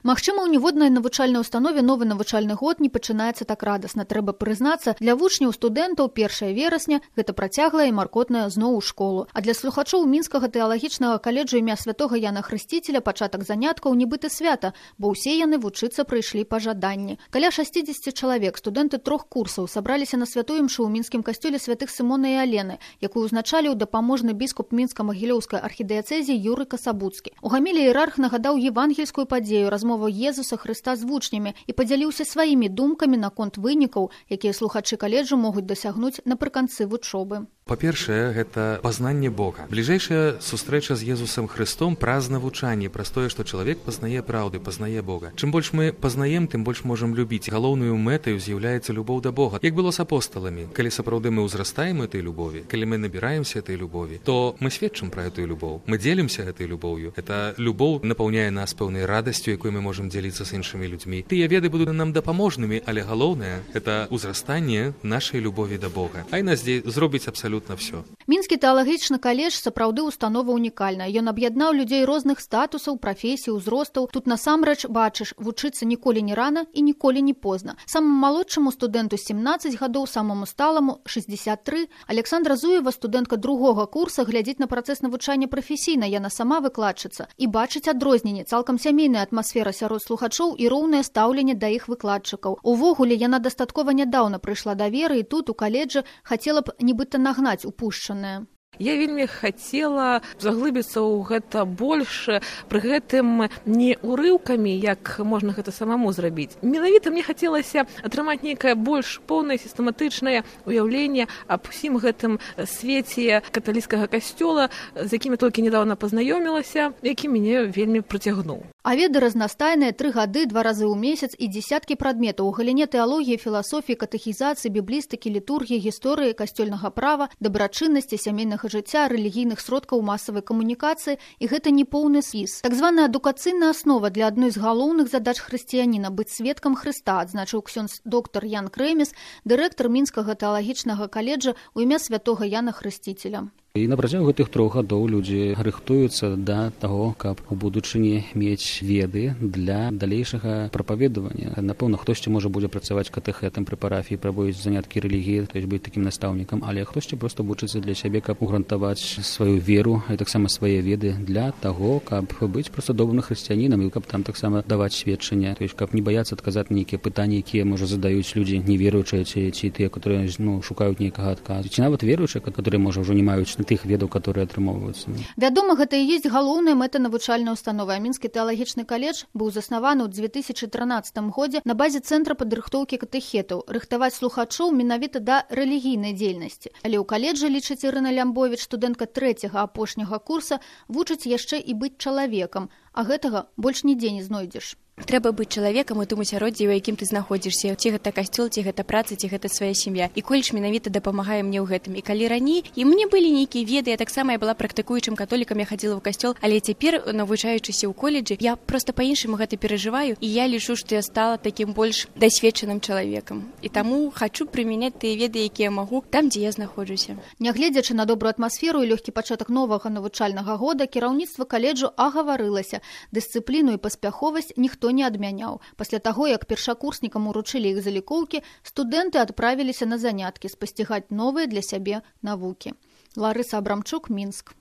Магчыма, у ніводнай навучальнай установе новы навучальны год не пачынаецца так радасна. Трэба прызнацца, для вучняў студэнтаў 1 верасня гэта працяглая і маркотная зноў у школу. А для слухачоў Мінскага тэалагічнага каледжу імя святога Яна Хрысціцеля пачатак заняткаў нібыта свята, бо ўсе яны вучыцца прыйшлі па жаданні. Каля 60 чалавек, студэнты 3 курсаў, сабраліся на святую імшу ў мінскім касцёле святых Сымона і Алены, якую узначаліў дапаможны біскуп мінска-магілёўскай архідыяцэзіі Юрый Касабуцкі. У гамілі іерарх нагадаў евангельскую падзею, размову Езуса Хрыста з вучнямі і падзяліўся сваімі думкамі наконт вынікаў, якія слухачы каледжу могуць дасягнуць напрыканцы вучобы. Па-першае, гэта пазнанне Бога. Бліжэйшая сустрэча з Езусам Хрыстом праз навучанне, праз тое, што чалавек пазнае праўды, пазнае Бога. Чым больш мы пазнаем, тым больш можам любіць. Галоўнаю мэтаю з'яўляецца любоў да Бога. Як было з апосталамі, калі сапраўды мы ўзрастаем этой любові, калі мы набіраемся этой любові, то мы сведчым пра эту любоў. Мы дзелімся гэтай любоўю. Эта любоў напаўняе нас пэўнай радасцю, якой мы можам дзеліцца з іншымі людзьмі. Тыя веды будуць нам дапаможнымі, але галоўнае гэта ўзрастанне нашай любові да Бога. А і нас зробіць абсалютна все. Мінскі тэалагічны каледж сапраўды установа унікальная. Ён аб'яднаў людзей розных статусаў, прафесій, узростаў. Тут насамрэч бачыш, вучыцца ніколі не рана і ніколі не позна. Самому малодшаму студэнту 17 гадоў, самому сталаму 63. Александра Зуева, студэнтка 2-го курса, глядзіць на працэс навучання прафесійна, яна сама выкладчыца, і бачыць адрозненне, цалкам сямейная атмасфера сярод слухачоў і роўнае стаўленне да іх выкладчыкаў. Увогуле, яна дастаткова нядаўна прыйшла да веры і тут у каледжы хацела б нібыта нагнаць упушчанае. Я вельмі хацела заглыбіцца ў гэта больш, пры гэтым не урыўкамі, як можна гэта самому зрабіць. Менавіта мне хацелася атрымаць нейкае больш поўнае сістэматычнае ўяўленне аб усім гэтым свеце каталіцкага касцёла, з якім я толькі нядаўна пазнаёмілася, які мяне вельмі прыцягнуў. А веды разнастайныя, 3 гады, 2 разы ў месяц і дзесяткі прадметаў у галіне тэалогіі, філасофіі, катэхізацыі, біблістыкі, літургіі, гісторыі, касцёльнага права, дабрачыннасці, сямейнага жыцця, рэлігійных сродкаў масавай камунікацыі, і гэта не поўны спіс. Так званая адукацыйная аснова для адной з галоўных задач хрысціяніна быць сведкам Хрыста, адзначыў ксёндз доктар Ян Крэмес, дырэктар Мінскага тэалагічнага каледжа ў імя святога Яна Хрысціцеля. І на працягу гэтых 3 гадоў людзі рыхтуюцца да таго, каб у будучыні мець веды для далейшага прапаведавання. Напэўна, хтосьці можа будзе працаваць катэхэтам пры парафіі, праводзіць заняткі рэлігіі, то есть быць такім настаўнікам, але хтосьці проста вучыцца для сябе, каб угрунтаваць сваю веру і таксама свае веды для таго, каб быць проста добрым хрысціянінам і каб там таксама даваць сведчанне, то есть каб не баяцца адказаць на нейкія пытанні, якія можа задаюць людзі неверуючыя ці тыя, которые шукаюць нейкага адказу, ці нават веруючыя, которые можа ўжо не маюць тых ведаў, которые атрымоўваюцца. Вядома, гэта і ёсць галоўная мэта навучальнай установы. Мінскі тэалагічны каледж быў заснаваны ў 2013 годзе на базе цэнтра падрыхтоўкі катэхетаў, рыхтаваць слухачоў менавіта да рэлігійнай дзейнасці. Але ў каледжы, лічыць Ірына Лямбовіч, студэнтка 3-го апошняга курса, вучыць яшчэ і быць чалавекам, а гэтага больш нідзе не знойдзеш. Трэба быць чалавекам у тым асяроддзі, у якім ты знаходзішся. Ці гэта касцёл, ці гэта праца, ці гэта свая сям'я. І коледж менавіта дапамагае мне ў гэтым. І калі раней і мне былі нейкія веды, я таксама была практыкуючым католікам, я хадзіла ў касцёл, але цяпер, навучаючыся ў коледжы, я проста па-іншаму гэта перажываю, і я лічу, што я стала такім больш дасведчаным чалавекам. І таму хачу прымяняць тыя веды, якія магу там, дзе я знаходжуся. Нягледзячы на добрую атмасферу і лёгкі пачатак новага навучальнага года, кіраўніцтва каледжу агаварылася. Дысцыпліну і паспяховасць ніхто не адмяняў. Пасля таго, як першакурснікам уручылі іх залікоўкі, студэнты адправіліся на заняткі спасцігаць новыя для сябе навукі. Ларыса Абрамчук, Мінск.